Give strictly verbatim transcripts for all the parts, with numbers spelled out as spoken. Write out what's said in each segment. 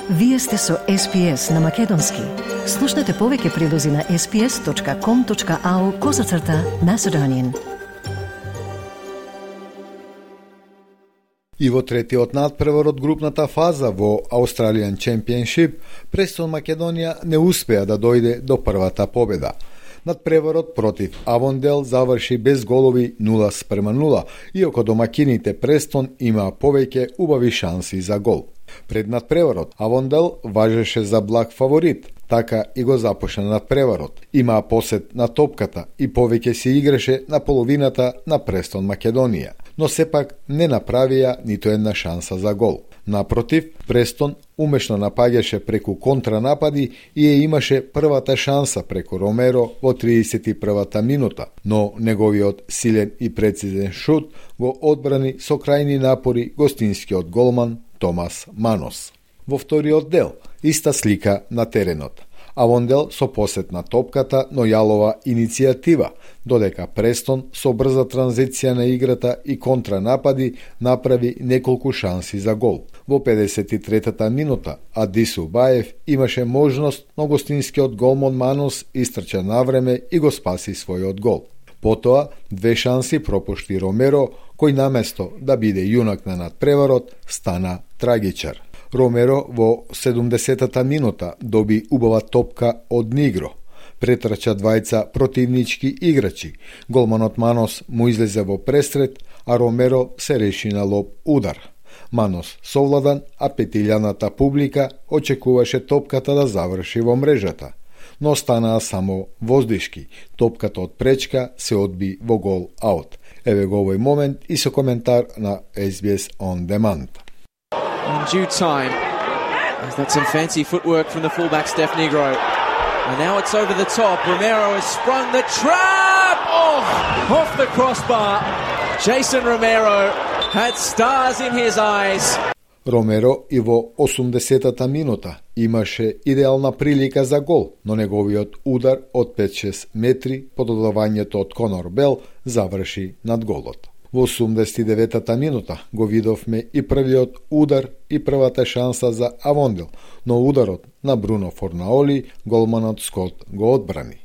Вие сте со Ес Пи Ес на Македонски. Слушнете повеќе прилози на ес пи ес точка ком точка ау козацрта Macedonian. И во третиот надпревар од групната фаза во Australian Championship, Престон Македонија не успеа да дојде до првата победа. Надпреварот против Авондел заврши без голови нула спрема нула, иако домакините Престон имаа повеќе убави шанси за гол. Пред надпреварот Авондел важеше за благ фаворит, така и го започна надпреварот. Имаа посет на топката и повеќе се играше на половината на Престон Македонија, но сепак не направија ниту една шанса за гол. Напротив, Престон умешно напаѓаше преку контранапади и ја имаше првата шанса преку Ромеро во тридесет и првата минута, но неговиот силен и прецизен шут го одбрани со крајни напори гостинскиот голман Томас Манос. Во вториот дел, иста слика на теренот. Авондел со посет на топката, но јалова иницијатива, додека Престон со брза транзиција на играта и контранапади направи неколку шанси за гол. Во педесет и третата минута Адису Баев имаше можност, но гостинскиот голман Манос истрча навреме и го спаси својот гол. Потоа, две шанси пропушти Ромеро, кој наместо да биде јунак на надпреварот, стана трагичар. Ромеро во седумдесетата минута доби убава топка од Нигро. Претрча двајца противнички играчи. Голманот Манос му излезе во пресред, а Ромеро се реши на лоп удар. Манос совладан, а петилјаната публика очекуваше топката да заврши во мрежата, но станаа само воздишки. Топката од пречка се одби во гол аут. Еве го овој момент и со коментар на Ес Би Ес On Demand. In due time, that's some fancy footwork from the fullback Steph Negro. And now it's over the top. Romero has sprung the trap! Oh, off the crossbar. Jason Romero had stars in his eyes. Ромеро и во осумдесетата минута имаше идеална прилика за гол, но неговиот удар од пет-шест метри по додавањето од Конор Бел заврши над голот. Во осумдесет и деветата минута го видовме и првиот удар и првата шанса за Авондел, но ударот на Бруно Форнаоли голманот Скот го одбрани.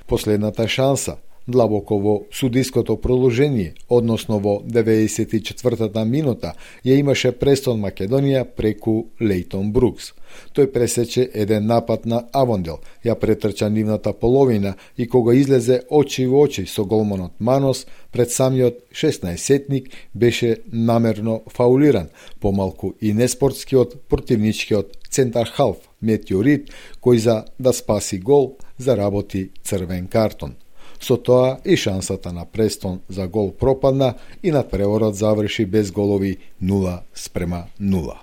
Последната шанса длабоко во судиското продолжение, односно во деветдесет и четвртата минута, ја имаше Престон Македонија преку Лейтон Брукс. Тој пресече еден напад на Авондел, ја претрча нивната половина и кога излезе очи во очи со голманот Манос, пред самиот шеснаесетник беше намерно фаулиран, помалку и неспортскиот противничкиот центар халф Метеорит, кој за да спаси гол заработи црвен картон. Со тоа и шансата на Престон за гол пропадна и надпреварот заврши без голови нула спрема нула.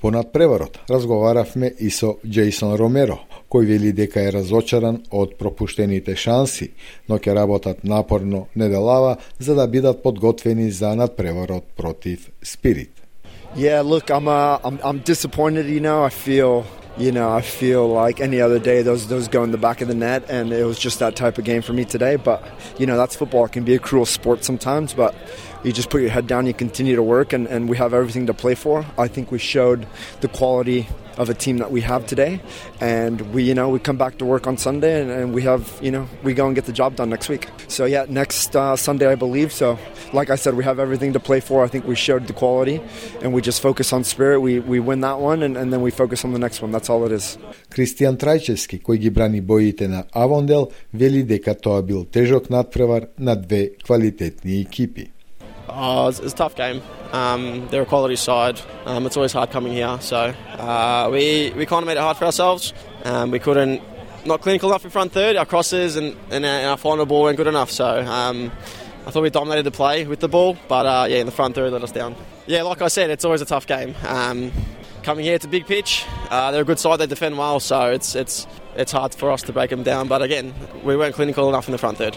По надпреварот разговаравме и со Джейсон Ромеро, кој вели дека е разочаран од пропуштените шанси, но ќе работат напорно неделава за да бидат подготвени за надпреварот против Спирит. Yeah, look, I'm uh, I'm I'm disappointed, you know. I feel You know, I feel like any other day those those go in the back of the net, and it was just that type of game for me today. But, you know, that's football. It can be a cruel sport sometimes, but you just put your head down, you continue to work, and, and we have everything to play for. I think we showed the quality of a team that we have today, and we, you know, we come back to work on Sunday, and, and we have, you know, we go and get the job done next week. So, yeah, next uh, Sunday, I believe. So, like I said, we have everything to play for. I think we showed the quality, and we just focus on spirit. We we win that one, and, and then we focus on the next one. That's all it is. Кристијан Трајчевски, кој ги брани боите на Авондел, вели дека тоа бил тежок надпревар на две квалитетни екипи. Oh, it's, it's a tough game. Um, they're a quality side. Um, it's always hard coming here, so uh, we we kind of made it hard for ourselves. Um, we couldn't not clinical enough in front third. Our crosses and, and our, our final ball weren't good enough. So um, I thought we dominated the play with the ball, but uh, yeah, in the front third let us down. Yeah, like I said, it's always a tough game. Um, coming here, it's a big pitch. Uh, they're a good side. They defend well, so it's it's it's hard for us to break them down. But again, we weren't clinical enough in the front third.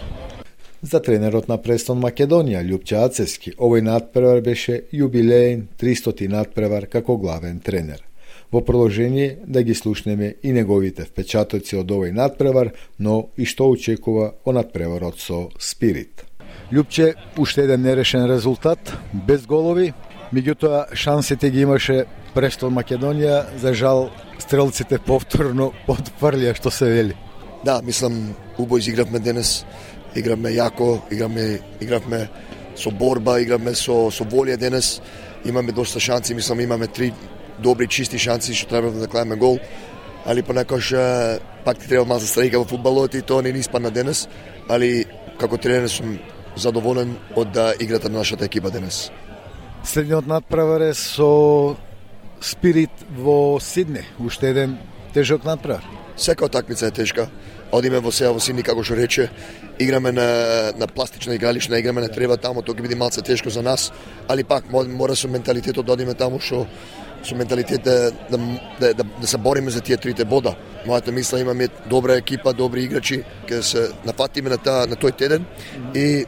За тренерот на Престон Македонија, Љупче Ацевски, овој надпревар беше јубилеен тристоти надпревар како главен тренер. Во продолжение да ги слушнеме и неговите впечатоци од овој надпревар, но и што очекува од надпреварот со Спирит. Љупче, уште еден нерешен резултат, без голови, меѓутоа шансите ги имаше Престон Македонија, за жал стрелците повторно потврлија што се вели. Да, мислам, убаво изигравме денес. Игравме јако, игравме, игравме со борба, игравме со, со волја денес. Имаме доста шанси, мислам, имаме три добри, чисти шанси, што треба да клаеме гол. Али понекогаш пак ти треба малку страйка во фудбалот и тоа не ни испадна денес. Али како тренер сум задоволен од играта на нашата екипа денес. Следниот надпревар е со Спирит во Сидне, уште еден тежок надпревар. Сека утакмица е тешка. Одиме во сега во Сидни, како што рече, играме на, на пластична игралишна, играме на трева таму, тоа ќе биде малце тешко за нас, али пак мора со менталитетот да одиме таму, што со менталитет да, да, да, да, да се бориме за тие трите бода. Мојата мисла, имаме добра екипа, добри играчи, ќе се нафатиме на, та, на тој теден и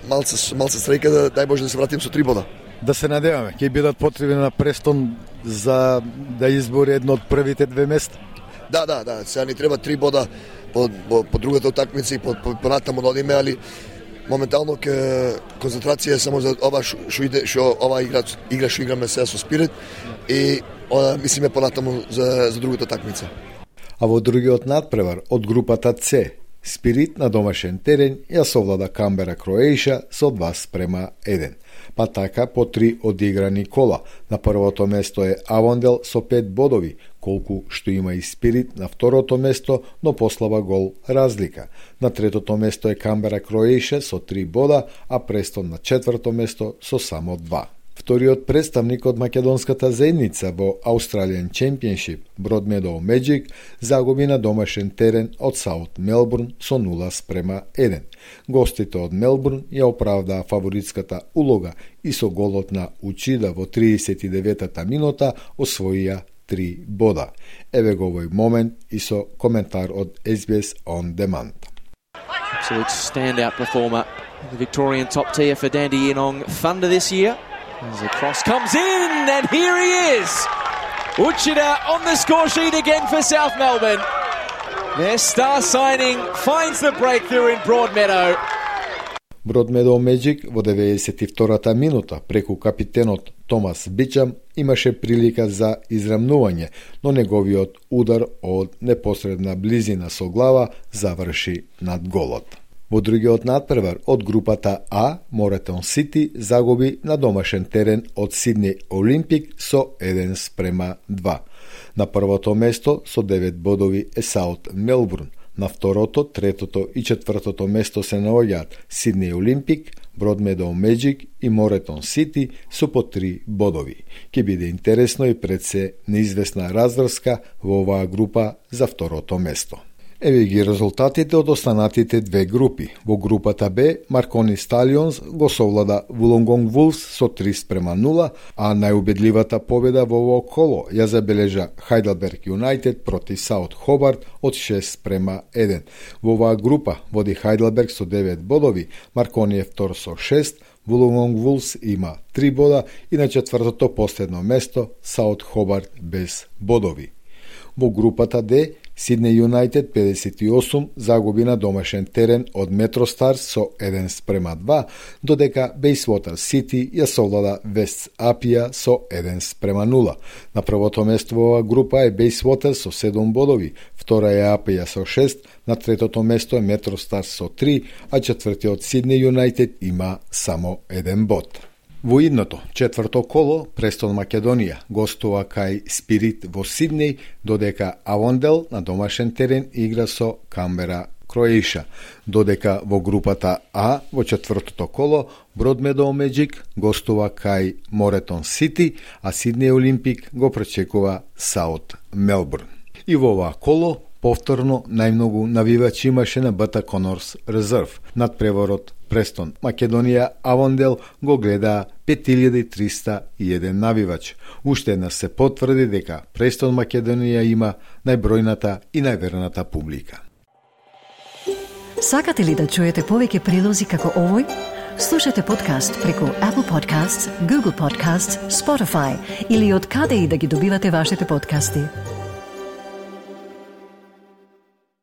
малце, малце среќа да дај Боже да се вратиме со три бода. Да се надеваме, ќе бидат потребни на Престон за да избори едно од првите две места. Да, да, да, сега ни треба три бода по, по, по другата утакмица и по, по, по натаму да одиме, али моментално ке концентрација е само за ова што иде, што ова игра, игра што играме сега со Спирит и о, мислиме понатаму за за другата утакмица. А во другиот надпревар од групата С, Спирит на домашен терен ја совлада Камбера Кроеиша со два спрема еден. Па така по три одиграни кола. На првото место е Авондел со пет бодови, колку што има и Спирит на второто место, но послаба гол разлика. На третото место е Камбера Кроеиша со три бода, а Престон на четврто место со само два. Вториот представник од македонската заедница во Australian Championship, Broadmeadow Magic, загуби на домашен терен од Саут Мелбурн со нула спрема еден. Гостите од Мелбурн ја оправдаа фаворитската улога и со голот на Учида во триесет и деветата минута освоија три бода. Еве го овој момент и со коментар од С Би Ес On Demand. Absolute standout performer. The Victorian top tier for Dandy Inong Thunder this year. As the cross comes in, and here he is! Uchida on the score sheet again for South Melbourne. Their star signing finds the breakthrough in Broadmeadow. Broadmeadow Magic во деветдесет и втората минута преку капитенот Томас Бичам имаше прилика за израмнување, но неговиот удар од непосредна близина со глава заврши над голот. Во другиот надпревар од групата А, Моретон Сити загуби на домашен терен од Сидни Олимпик со еден спрема два. На првото место со девет бодови е Саут Мелбурн. На второто, третото и четвртото место се наоѓаат Сидни Олимпик, Broadmeadow Magic и Моретон Сити со по три бодови. Ке биде интересно и пред се неизвестна разврска во оваа група за второто место. Еве ги резултатите од останатите две групи. Во групата Б, Маркони Сталионс го совлада Вулонгонг Вулфс со три спрема нула, а најубедливата победа во ово коло ја забележа Хайделберг Юнайтед против Саут Хобарт од шест спрема еден. Во оваа група води Хайделберг со девет бодови, Маркони е втор со шест, Вулонгонг Вулфс има три бода и на четвртото последно место Саут Хобарт без бодови. Во групата Д, Сиднеј Юнайтед педесет и осум загуби на домашен терен од Метростарс со еден спрема два, додека Бејсвотер Сити ја совлада Вест Апија со еден спрема нула. На првото место во оваа група е Бејсвотер со седум бодови, втора е Апија со шест, на третото место е Метростарс со три, а четвртиот Сиднеј Юнайтед има само еден бод. Во идното, четврто коло, Престон Македонија гостува кај Спирит во Сиднеј, додека Авондел на домашен терен игра со Камбера Кроеиша, додека во групата А, во четвртото коло, Broadmeadow Magic гостува кај Моретон Сити, а Сиднеј Олимпик го пречекува Саут Мелбурн. И во оваа коло, повторно најмногу навивачи имаше на Бата Конорс Резерв. Над преворот Престон Македонија Авондел го гледа пет илјади триста и еден навивач. Уште една се потврди дека Престон Македонија има најбројната и најверната публика. Сакате ли да чуете повеќе прилози како овој? Слушате подкаст преку Apple Podcasts, Google Podcasts, Spotify или од каде и да ги добивате вашите подкасти.